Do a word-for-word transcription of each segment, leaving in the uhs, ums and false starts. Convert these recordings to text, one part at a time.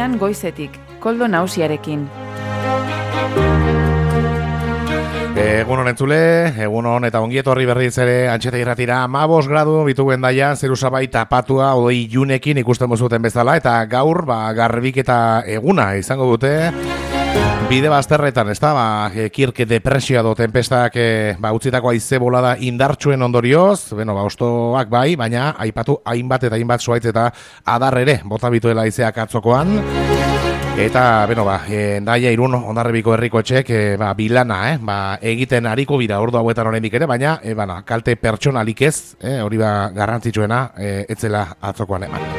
irratian goizetik, Koldo Nausiarekin. Egun honen zule, egun hon eta ongi etorri berriz ere Antxeta irratira hamabost gradu bitugu endaian, zeru sabai tapatua odei ilunekin ikusten mozuten bezala, eta gaur ba, garbik eta eguna izango dute bide bazterretan, ez da, ba, kirke depresioa do tempestak e, ba, utzitako haize bolada indartsuen ondorioz, bueno, ba, ostoak bai, baina aipatu hainbat eta hainbat zuaitz eta adar ere, bota bituela haizeak atzokoan. Eta, beno, ba, Hendaia Irun Hondarribiko herriko etxek, e, ba, bilana, eh, ba, egiten ariko bira ordu hauetan oraindik ere, baina, e, bana, kalte pertsonalik ez, eh, hori ba, garrantzitsuena, e, etzela atzokoan eman.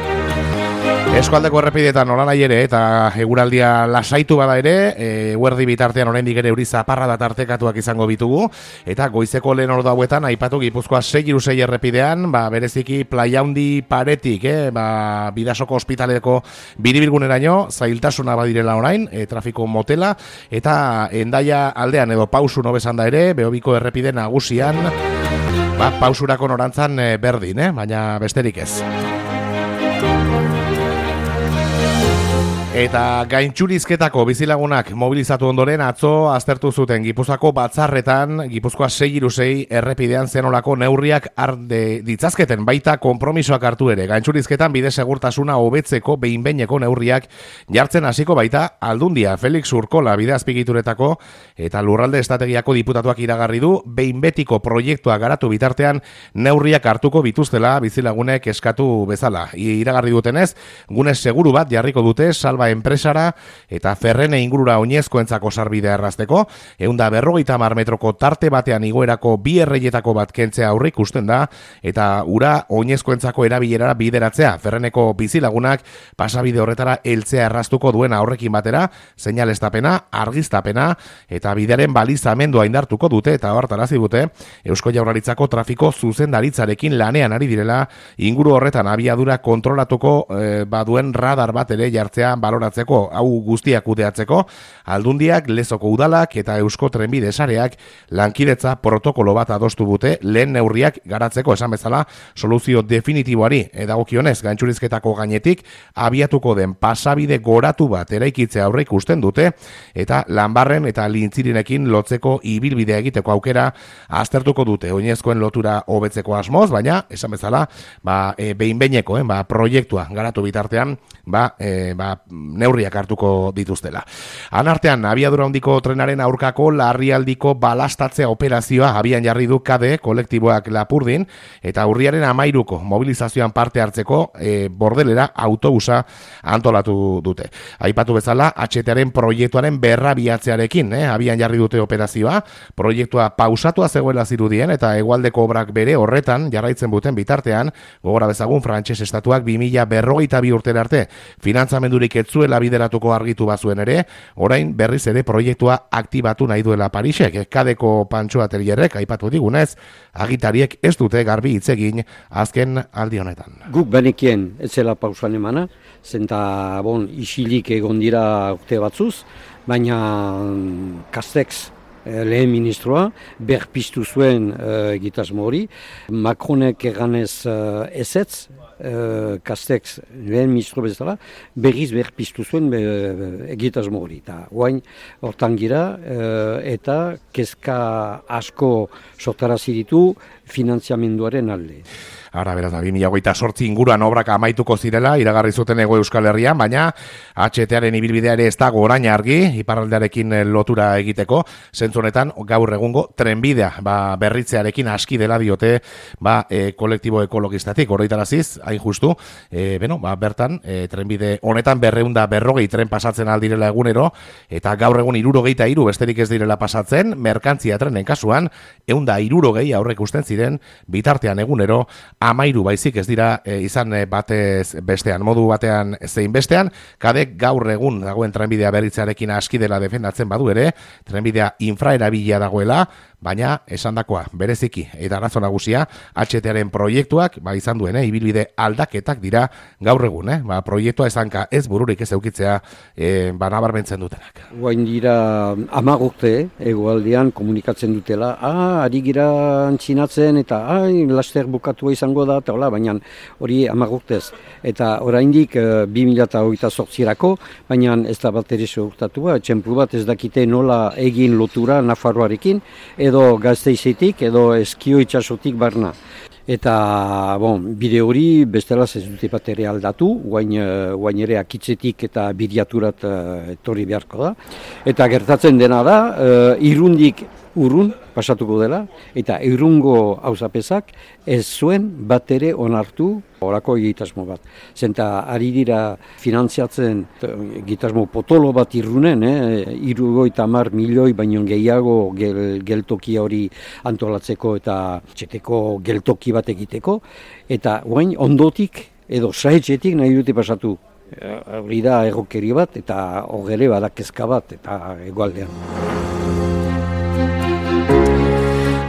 Eskualdeko errepidetan nola nahi ere, eta eguraldia lasaitu bada ere, e, huerdi bitartean oraindik ere euri zaparra da tartekatuak izango bitugu, eta goizeko lehen ordu hauetan aipatu Gipuzkoa sei hiru sei errepidean, ba, bereziki Playa Handi paretik, eh, ba, Bidasoko ospitaleko biribilguneraino, zailtasuna badirela orain, e, trafiko motela, eta Hendaia aldean edo pausu nobesan da ere, Behobiko errepide nagusian, ba, pausurako norantzan e, berdin, eh, baina besterik ez. Eta gaintxurizketako bizilagunak mobilizatu ondoren atzo aztertu zuten Gipuzkoako batzarretan Gipuzkoa sei hiru sei errepidean zenolako neurriak arde ditzazketen baita konpromisoak hartu ere. Gaintxurizketan bide segurtasuna hobetzeko behin-behineko neurriak jartzen hasiko baita Aldundia. Felix Urkola bide azpigituretako eta lurralde estrategiako diputatuak iragarri du behin betiko proiektua garatu bitartean neurriak hartuko bituztela bizilagunek eskatu bezala. Iragarri dutenez, gune seguru bat jarriko dute salba enpresara eta Ferrene ingurura oinezkoentzako sarbidea errazteko, ehunda berrogeita hamar metroko tarte batean igoerako bi erreietako bat kentzea aurrik ikusten da, eta ura oinezkoentzako erabilerara bideratzea. Ferreneko bizilagunak pasabide horretara heltzea erraztuko duena horrekin batera, seinalestapena, argiztapena eta bideren balizamendua indartuko dute, eta hartarazi dute Eusko Jaurlaritzako trafiko zuzendaritzarekin lanean ari direla inguru horretan abiadura kontrolatuko eh, baduen radar bat ere jartzea baloratzeko, hau guztiak kudeatzeko. Aldundiak, Lezoko udalak eta Eusko Trenbide sareak lankidetza protokolo bat adostu dute lehen neurriak garatzeko, esan bezala soluzio definitiboari edagokionez gaintxurizketako gainetik abiatuko den pasabide goratu bat eraikitzea aurre ikusten dute, eta Lanbarren eta Lintzirinekin lotzeko ibilbidea egiteko aukera aztertuko dute oinezkoen lotura hobetzeko asmoz, baina esan bezala ba, e, behin-behineko eh, ba, proiektua garatu bitartean ba, e, ba, neurriak hartuko dituztela. Anartean, abiadura handiko trenaren aurkako larrialdiko balastatzea operazioa abian jarri du Kade kolektiboak Lapurdin, eta urriaren amairuko mobilizazioan parte hartzeko e, bordelera autobusa antolatu dute. Aipatu bezala, H T-aren proiektuaren berrabiatzearekin, eh, abian jarri dute operazioa, proiektua pausatua zegoela zirudien, eta hegoaldeko obrak bere horretan jarraitzen buten bitartean, gogora bezagun frantses estatuak bi mila berrogeita bi urtera arte finantzamendurik etzuela bideratuko argitu bazuen ere, orain berriz ere proiektua aktibatu nahi duela Parisek. Kadeko Pantxo Atelierrek aipatu digunez, agitariek ez dute garbi hitz egin azken aldi honetan. Guk benekien ez zela pausan emana, zenta bon, isilik egon dira urte batzuz, baina Castex lehen ministroa berpiztu zuen uh, egitasmo hori. Macronek eganez uh, ezetz, Uh, Castex lehen ministro bezala berriz berpiztu zuen be, egitasmo hori. Ta guain hortan gira uh, eta kezka asko sortarazi ditu finanziamenduaren alde. Ara, beraz, bi mila hogeita zortzi inguruan obrak amaituko zirela, iragarri zuten Hego Euskal Herrian, baina H T-aren ibilbidea ere ez dago orain argi, iparraldearekin lotura egiteko, zentzu honetan gaur egungo trenbidea ba, berritzearekin aski dela diote ba, e, kolektibo ekologistatik, horretaraziz, hain justu, e, beno, ba, bertan, e, trenbide honetan berreunda berrogei tren pasatzen aldirela egunero, eta gaur egun hirurogeita hiru besterik ez direla pasatzen, merkantzia trenen kasuan, eunda hirurogei aurrek usten ziren, bitartean egunero, amairu baizik ez dira e, izan e, batez bestean, modu batean zein bestean. Kadek gaur egun dagoen trenbidea berritzearekin aski dela defendatzen badu ere, trenbidea infraerabilia dagoela, baina esandakoa bereziki eta arazo nagusia H T-aren proiektuak ba izan duen, eh, ibilbide aldaketak dira gaur egun, eh, ba proiektua esanka ez bururik ez eukitzea eh, ba nabarmentzen dutenak. Guain dira hamar urte hegoaldean komunikatzen dutela, ah, ari gira antxinatzen eta ai, laster bukatua izango da, eta hola, baina hori hamar urtez. Eta oraindik e, bi mila hogeita zortzirako, baina ez da bat ere segurtatua, txemplu bat ez dakite nola egin lotura Nafarroarekin, edo Gasteizetik, edo Eskio itsasotik barna. Eta, bon, bide hori bestela ez dute bat ere aldatu, guain, guain ere akitzetik eta bidiaturat uh, etorri beharko da. Eta gertatzen dena da, uh, irundik urrun pasatuko dela, eta irungo auzapezak ez zuen bat ere onartu horako egitasmo bat. Zenta ari dira finantziatzen egitasmo potolo bat irrunen, eh, irurogeita hamar milioi baino gehiago gel, geltoki hori antolatzeko eta txeteko geltoki bat egiteko, eta guain ondotik edo saetxetik nahi dute pasatu. Hori da errokeri bat eta hogere badakezka bat eta egualdean.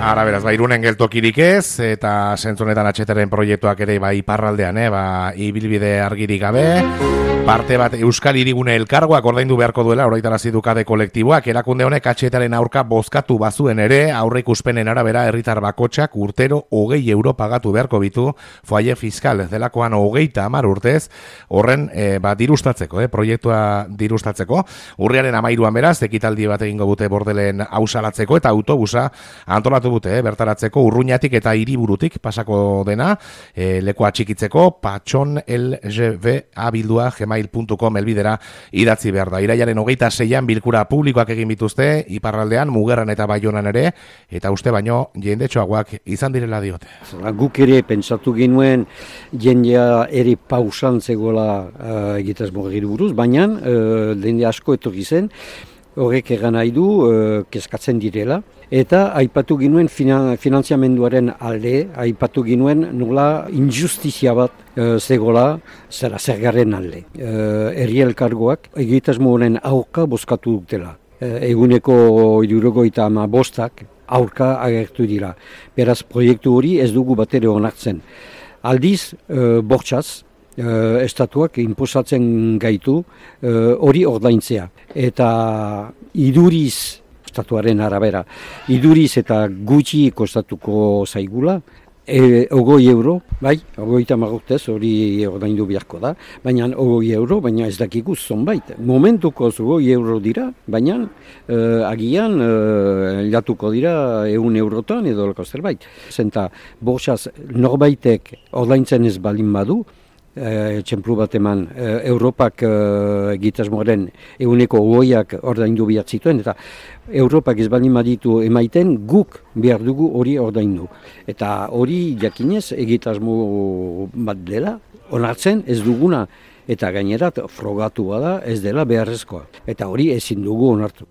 Ara beraz, ba, Irunen geltokirik ez, eta zentzonetan H T-ren proiektuak ere ba, iparraldean, eh, ba, ibilbide argirik gabe, parte bat Euskal Hirigune elkargoak ordaindu beharko duela, oraitarazi du kade kolektiboak, erakunde honek H T-ren aurka bozkatu bazuen ere, aurreikuspenen arabera herritar bakotxak urtero hogei euro pagatu beharko bitu, foaie fiskal delakoan hogeita hamar urtez, horren e, ba, dirustatzeko, eh, proiektua dirustatzeko, urriaren hamairuan beraz, ekitaldi bat egingo dute Bordelen hausalatzeko, eta autobusa antolatu dute, eh, bertaratzeko Urruñatik eta Hiriburutik pasako dena, e, lekoa txikitzeko, patxon L G B abildua gmail puntu com elbidera idatzi behar da. Irailaren hogeita zeian bilkura publikoak egin bituzte, iparraldean, Mugerran eta Baionan ere, eta uste baino jendetxoagoak izan direla diote. Guk ere pentsatu genuen jendea ere pausan zegoela uh, egitasmo giri buruz, baina uh, jende asko etorri zen, horrek egan nahi du uh, kezkatzen direla. Eta aipatu ginuen finantziamenduaren alde, aipatu ginuen nola injustizia bat e, zegola zera zergaren alde. E, Herri elkargoak egitasmo honen aurka bozkatu dutela. E, eguneko hirurogeita hamar bostak aurka agertu dira. Beraz proiektu hori ez dugu batere onartzen. Aldiz, e, bortxaz, e, estatuak inposatzen gaitu hori e, ordaintzea. Eta iduriz estatuaren arabera. Iduriz eta gutxi kostatuko zaigula, e, ogoi euro, bai, ogoita marrurtez hori ordaindu beharko da, baina ogoi euro, baina ez dakikuz zonbait. Momentuko ogoi euro dira, baina e, agian e, jatuko dira ehun eurotan edo lako zerbait. Zenta, borxaz norbaitek ordaintzen ez balin badu, E, txemplu bat eman, e, Europak e, egitasmoaren ehuneko ogoiak ordaindu behar zituen, eta Europak ez baldin baditu emaiten guk behar dugu hori ordaindu. Eta hori jakinez egitasmo bat dela, onartzen ez duguna, eta gainerat frogatu bada ez dela beharrezkoa. Eta hori ezin dugu onartu.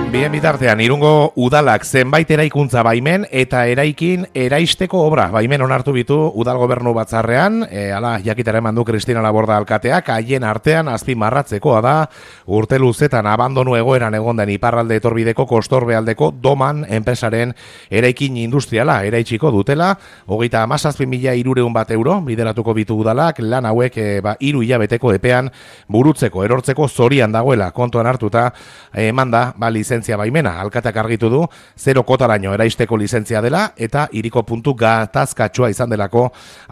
Bien bitartean, Irungo udalak zenbait eraikuntza baimen eta eraikin eraisteko obra baimen onartu bitu udal gobernu batzarrean, e, ala jakitara eman du Kristina Laborda alkateak, haien artean azpimarratzekoa da urte luzetan abandonu egoeran egon den iparralde etorbideko kostorbealdeko Doman enpresaren eraikin industriala eraitsiko dutela, hogeita hamazazpi mila hirureun bat euro bideratuko bitu udalak, lan hauek e, ba, hiru hilabeteko epean burutzeko, erortzeko zorian dagoela kontuan hartuta eman da, ba, lizentzia baimena, alkateak argitu du, zero kotaraino eraisteko lizentzia dela, eta hiriko puntu gatazkatsua izan delako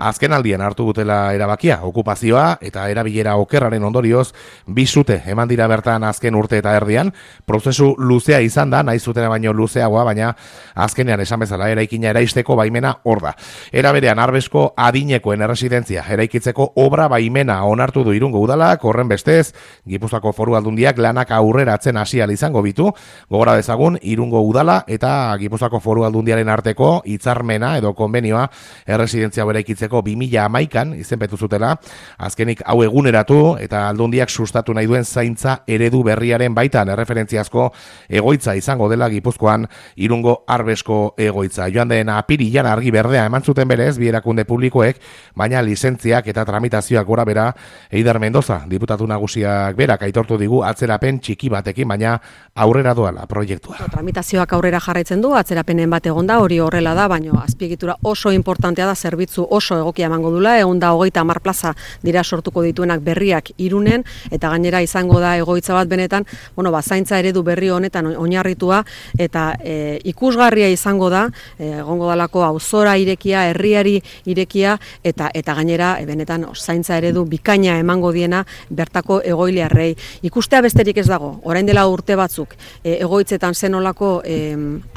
azken aldien hartu dutela erabakia, okupazioa eta erabilera okerraren ondorioz bizute eman dira bertan azken urte eta erdian, prozesu luzea izan da, nahi zutena baino luzeagoa, baina azkenean esan bezala eraikina eraisteko baimena hor da. Era berean Arbesko adinekoen erresidentzia eraikitzeko obra baimena onartu du Irungo udalak, horren bestez, Gipuzkoako Foru Aldundiak lanak aurreratzen hasi ahal izango bitu, Gogora dezagun, Irungo udala eta Gipuzkoako Foru Aldundiaren arteko hitzarmena edo konbenioa erresidentzia beraikitzeko bi mila hamaikan izenpetu zutela, azkenik hau eguneratu eta Aldundiak sustatu nahi duen zaintza eredu berriaren baitan erreferentziazko egoitza izango dela Gipuzkoan Irungo Arbesko egoitza. Joan den apirilan argi berdea eman zuten berez bi erakunde publikoek, baina lizentziak eta tramitazioak gora bera. Eider Mendoza, diputatu nagusiak berak aitortu digu atzerapen txiki batekin, baina aurrera doala proiektua. Tramitazioak aurrera jarraitzen du, atzerapenen bat egonda, hori horrela da, baina azpiegitura oso importantea da, zerbitzu oso egokia emango dula, egon da hogeita hamar plaza dira sortuko dituenak berriak Irunen, eta gainera izango da egoitza bat benetan, bueno, ba, zaintza eredu berri honetan oinarritua, eta e, ikusgarria izango da, e, egongo dalako auzora irekia, herriari irekia, eta eta gainera e, benetan zaintza eredu bikaina emango diena bertako egoiliarrei. Ikustea besterik ez dago, orain dela urte batzuk e, egoitzetan zenolako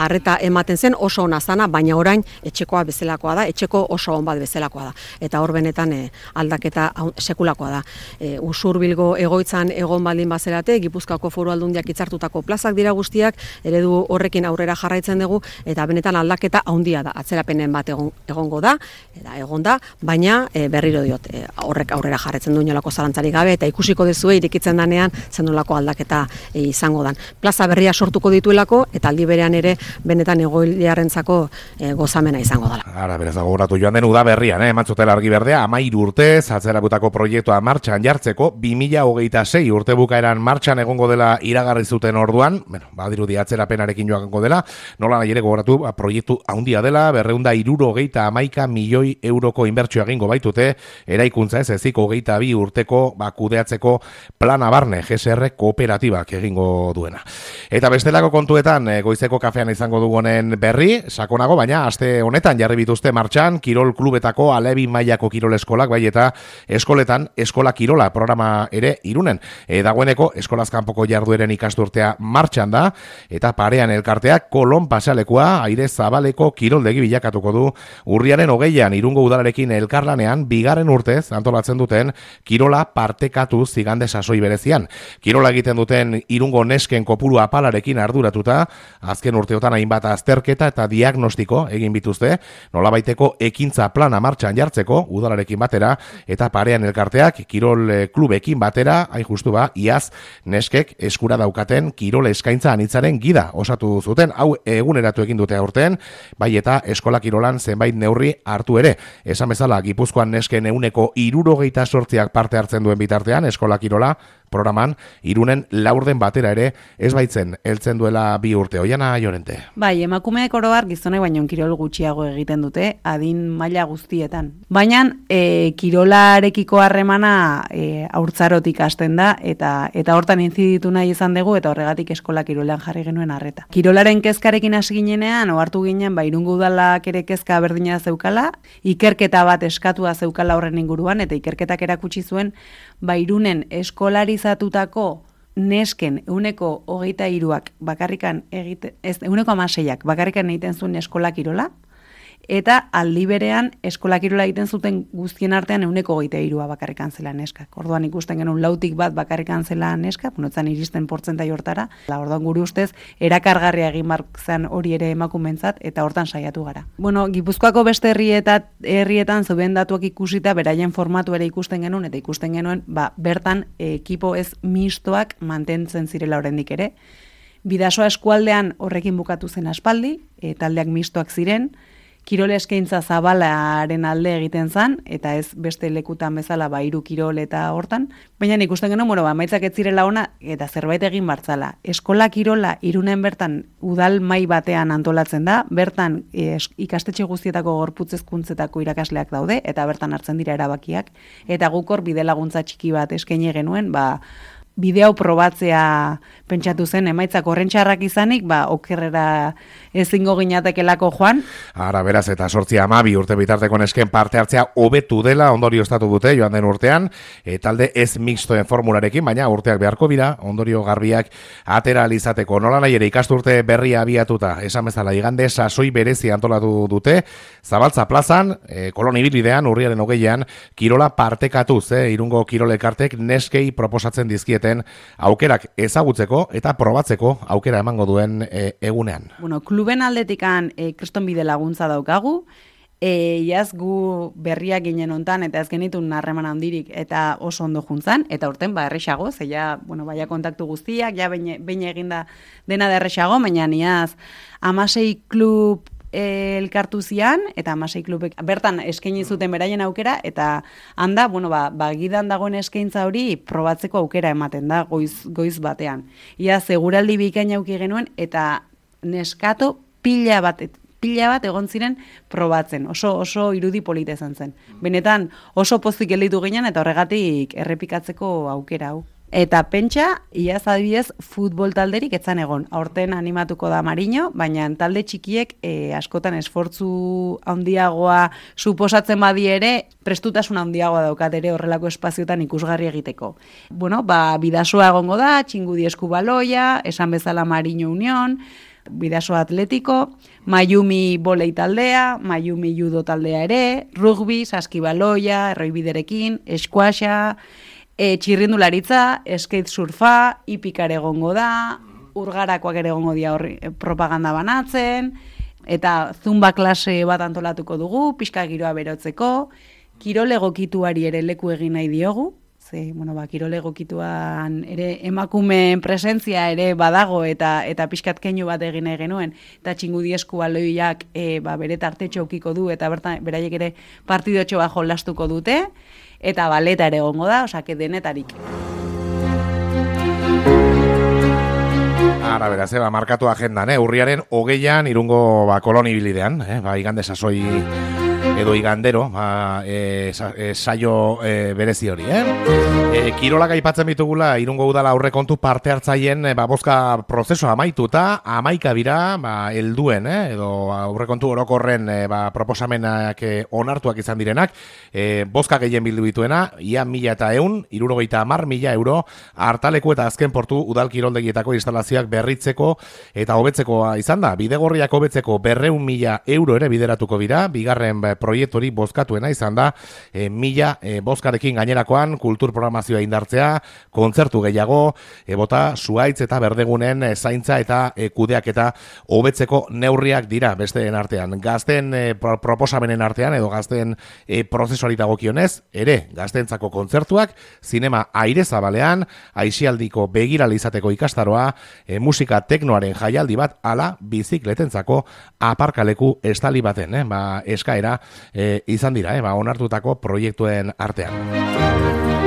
harreta ematen zen oso ona zana, baina orain etxekoa bezalakoa da, etxeko oso on bat bezalakoa da. Eta hor benetan e, aldaketa sekulakoa da. E, Usurbilgo egoitzan egon baldin bazerate, Gipuzkoako Foru Aldundiak hitzartutako plazak dira guztiak, eredu horrekin aurrera jarraitzen dugu, eta benetan aldaketa handia da, atzerapenen bat egon, egongo da, eta egon da, baina e, berriro diot, e, horrek aurrera jarraitzen du inolako zalantzarik gabe, eta ikusiko duzue irikitzen danean zenolako aldaketa e, izango dan. Plaza berria sortuko dituelako, eta aldi berean ere benetan egoiliarrentzako e, gozamena izango dela. Ara, berez gogoratu joan den uda berrian, eh? Emantzutela argi berdea, hamairu urtez, atzerabutako proiektua martxan jartzeko, bi mila hogeita sei urte bukaeran martxan egongo dela iragarri zuten orduan, bueno, badirudi atzerapenarekin joango dela, nola nahi ere gogoratu, ba, proiektu handia dela, berreunda hirurogeita hamaika milioi euroko inbertsio egingo baitute, eraikuntza ez ezik hogeita bi urteko ba, kudeatzeko plana barne, G S R kooperatibak egingo duena. Eta bestelako kontuetan, e, goizeko kafean izango dugunen berri, sakonago, baina aste honetan jarri bituzte martxan, kirol klubetako alebi mailako kirol eskolak, bai eta eskoletan eskola kirola programa ere Irunen. E, dagoeneko eskolaz kanpoko jardueren ikasturtea martxan da, eta parean elkarteak Kolon pasealekua aire zabaleko kiroldegi bilakatuko du urriaren hogeian Irungo udalarekin elkarlanean bigarren urtez antolatzen duten kirola partekatu zigande sasoi berezian. Kirola egiten duten Irungo nesken kopuru apalarekin arduratuta, azken urteotan hainbat azterketa eta diagnostiko egin bituzte, nolabaiteko ekintza plana martxan jartzeko udalarekin batera, eta parean elkarteak kirol klubekin batera, hain justu ba, iaz neskek eskura daukaten kirol eskaintza anitzaren gida osatu zuten, hau eguneratu egin dute aurten, bai eta eskola kirolan zenbait neurri hartu ere. Esan bezala, Gipuzkoan nesken ehuneko hirurogeita zortziak parte hartzen duen bitartean, eskola kirola programan, Irunen laurden batera ere ez baitzen heltzen duela bi urte. Oiana Llorente. Bai, emakumeek oro har gizonek baino kirol gutxiago egiten dute, adin maila guztietan. Baina e, kirolarekiko harremana e, haurtzarotik hasten da, eta eta hortan inziditu nahi izan dugu, eta horregatik eskola kirolean jarri genuen arreta. Kirolaren kezkarekin hasi ginenean, ohartu ginen, ba, Irungo udalak ere kezka berdina zeukala, ikerketa bat eskatua zeukala horren inguruan, eta ikerketak erakutsi zuen, ba, Irunen eskolarizatutako nesken ehuneko hogeita hiruak bakarrikan egite, ez ehuneko hamaseiak bakarrikan egiten zuen eskola kirola, eta aldi berean eskola kirola egiten zuten guztien artean ehuneko hogeita hirua bakarrikan zela neskak. Orduan ikusten genuen lautik bat bakarrikan zela neska, bunotzan iristen portzentai hortara, la orduan gure ustez erakargarria egin zen hori ere emakumentzat, eta hortan saiatu gara. Bueno, Gipuzkoako beste herrietat, herrietan zeuden datuak ikusita, beraien formatu ere ikusten genuen, eta ikusten genuen, ba, bertan ekipo ez mistoak mantentzen zirela oraindik ere. Bidasoa eskualdean horrekin bukatu zen aspaldi, e, taldeak mistoak ziren, kirol eskaintza zabalaren alde egiten zan, eta ez beste lekutan bezala ba hiru kirol eta hortan, baina ikusten genuen, bueno, ba, emaitzak ez zirela ona, eta zerbait egin bartzala. Eskola kirola Irunen bertan udal mai batean antolatzen da, bertan e, ikastetxe guztietako gorputz hezkuntzetako irakasleak daude, eta bertan hartzen dira erabakiak, eta guk hor bide laguntza txiki bat eskaini genuen, ba, bideo probatzea pentsatu zen, emaitzak horrentxarrak izanik, ba, okerrera ezingo ginatekelako joan. Ara, beraz, eta sortzi amabi urte bitarteko nesken parte hartzea hobetu dela, ondorio estatu dute, joan den urtean, e, talde ez mixtoen formularekin, baina urteak beharko bira, ondorio garbiak atera alizateko. Nola nahi ere ikasturte berria abiatuta, esan bezala, igande sasoi berezi antolatu dute, Zabaltza plazan, e, Kolon ibilbidean, urriaren hogeian, kirola partekatuz, e, Irungo kirolekartek neskei proposatzen dizkiete ditzaketen aukerak ezagutzeko eta probatzeko aukera emango duen e, egunean. Bueno, kluben aldetikan e, kristonbide laguntza daukagu, E, iaz gu berriak ginen hontan eta ez genitun harreman handirik eta oso ondo juntzan, eta urten ba erresago, ze ja, bueno, baia kontaktu guztiak, ja behin eginda dena da erresago, baina iaz hamasei klub e, elkartu zian, eta hamasei klubek bertan eskaini zuten beraien aukera, eta handa, bueno, ba, ba gidan dagoen eskaintza hori probatzeko aukera ematen da, goiz, goiz batean. Iaz, seguraldi bikaina auki genuen, eta neskato pila bat, pila bat egon ziren probatzen, oso oso irudi polita izan zen. Benetan oso pozik gelditu ginen eta horregatik errepikatzeko aukera hau. Eta pentsa, iaz adibidez, futbol talderik etzan egon. Aurten animatuko da Mariño, baina talde txikiek e, askotan esfortzu handiagoa suposatzen badi ere, prestutasun handiagoa daukat ere horrelako espaziotan ikusgarri egiteko. Bueno, ba, bidasoa egongo da, Txingudi Eskubaloia, esan bezala Mariño Union, Bidaso Atletiko, Mayumi volei taldea, Mayumi judo taldea ere, rugby, saskibaloia, erroibiderekin, eskuaxa, e, txirrindularitza, skate surfa, hipikar egongo da, urgarakoak ere egongo dia horri propaganda banatzen, eta zumba klase bat antolatuko dugu, pixka giroa berotzeko, kirol egokituari ere leku egin nahi diogu, ze, bueno, ba, kirol egokituan ere emakumeen presentzia ere badago eta eta pixkat keinu bat egin nahi genuen, eta Txingudi Eskubaloiak e, ba, bere tartetxo ukiko du, eta bertan beraiek ere partidotxo bat jolastuko dute, eta baleta ere egongo da, osake denetarik. Ara, beraz, eba, markatu agendan, eh? Urriaren hogeian irungo ba, kolonibilidean, eh? Ba, igande sasoi edo igandero, ba, e, sa, e, saio e, berezi hori, eh? E, kirolak aipatzen bitugula, irungo udala aurrekontu parte hartzaien e, ba, bozka prozesua amaituta, amaika bira, ba, helduen, eh? Edo aurrekontu orokorren e, ba, proposamenak e, onartuak izan direnak, e, bozka gehien bildu bituena, ia mila eta eun, irurogeita hamar mila euro, hartaleku eta azken portu udal kiroldegietako instalazioak berritzeko eta hobetzekoa izan da. Bidegorriak hobetzeko berreun mila euro ere bideratuko dira, bigarren proiektori bozkatuena izan da, e, mila e, bozkarekin gainerakoan kultur programazioa indartzea, kontzertu gehiago, e, bota zuaitz eta berdegunen e, zaintza eta e, kudeaketa hobetzeko neurriak dira besteen artean. Gazten e, pro, proposamenen artean edo gazten e, prozesuari dagokionez, ere gaztentzako kontzertuak, zinema aire zabalean, aisialdiko begirale izateko ikastaroa, e, musika teknoaren jaialdi bat, ala bizikletentzako aparkaleku estali baten, eh? Ba, eskaera e, izan dira, eh? Ba, onartutako proiektuen artean.